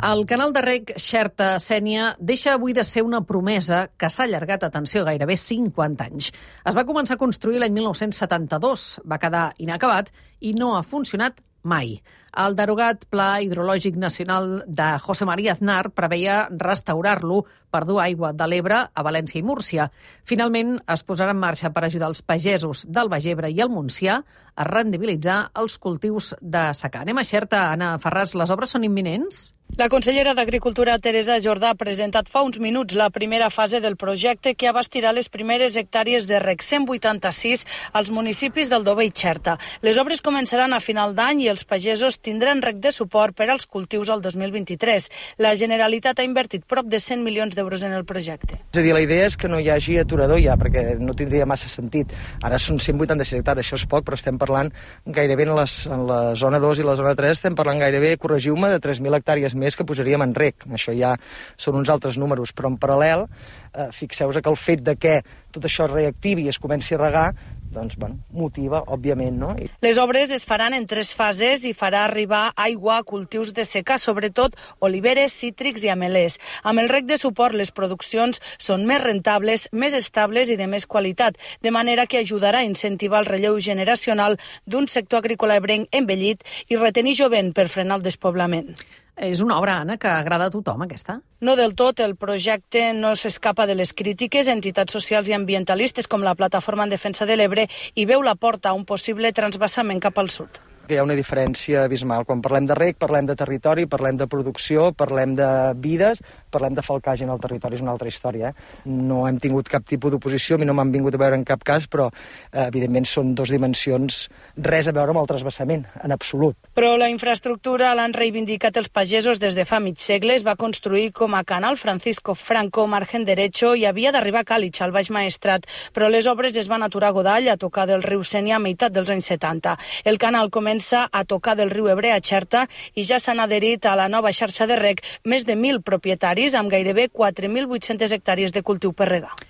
El canal de reg Xerta-Sénia deixa avui de ser una promesa que s'ha allargat, atenció, gairebé 50 anys. Es va començar a construir l'any 1972, va quedar inacabat i no ha funcionat mai. El derogat Pla Hidrològic Nacional de José María Aznar preveia restaurar-lo per dur aigua de l'Ebre a València i Múrcia. Finalment, es posarà en marxa per ajudar els pagesos del Baix Ebre i el Montsià a rendibilitzar els cultius de secà. Anem a Xerta, Anna Ferràs, les obres són imminents? La consellera d'Agricultura, Teresa Jordà, ha presentat fa uns minuts la primera fase del projecte que abastirà les primeres hectàrees de reg 186 als municipis del Dobe i Xerta. Les obres començaran a final d'any i els pagesos tindran reg de suport per als cultius al 2023. La Generalitat ha invertit prop de 100 milions d'euros en el projecte. És a dir, la idea és que no hi hagi aturador ja, perquè no tindria massa sentit. Ara són 186 hectàrees, això és poc, però estem parlant gairebé en la zona 2 i la zona 3, estem parlant gairebé, corregiu-me, de 3.000 hectàrees més que posaríem en reg. Això ja són uns altres números, però en paral·lel, fixeu-vos que el fet de que tot això es reactivi i es comenci a regar, doncs, motiva, òbviament, no? Les obres es faran en 3 fases i farà arribar aigua a cultius de secà, sobretot oliveres, cítrics i amelers. Amb el reg de suport, les produccions són més rentables, més estables i de més qualitat, de manera que ajudarà a incentivar el relleu generacional d'un sector agrícola ebrenc envellit i retenir jovent per frenar el despoblament. És una obra, Anna, que agrada a tothom, aquesta? No del tot, el projecte no s'escapa de les crítiques. Entitats socials i ambientalistes com la Plataforma en Defensa de l'Ebre hi veu la porta a un possible transvasament cap al sud. Hi ha una diferència abismal. Quan parlem de reg, parlem de territori, parlem de producció, parlem de vides, parlem de falcatge en el territori, és una altra història. No hem tingut cap tipus d'oposició, a mi no m'han vingut a veure en cap cas, però evidentment són 2 dimensions, res a veure amb el transvasament, en absolut. Però la infraestructura l'han reivindicat els pagesos des de fa mig segle. Es va construir com a Canal Francisco Franco, margen derecho, i havia d'arribar a Càlig, al Baix Maestrat, però les obres es van aturar a Godall, a tocar del riu Sénia a meitat dels anys 70. El canal comença a tocar del riu Ebre a Xerta i ja s'han adherit a la nova xarxa de reg més de 1.000 propietaris amb gairebé 4.800 hectàrees de cultiu per regar.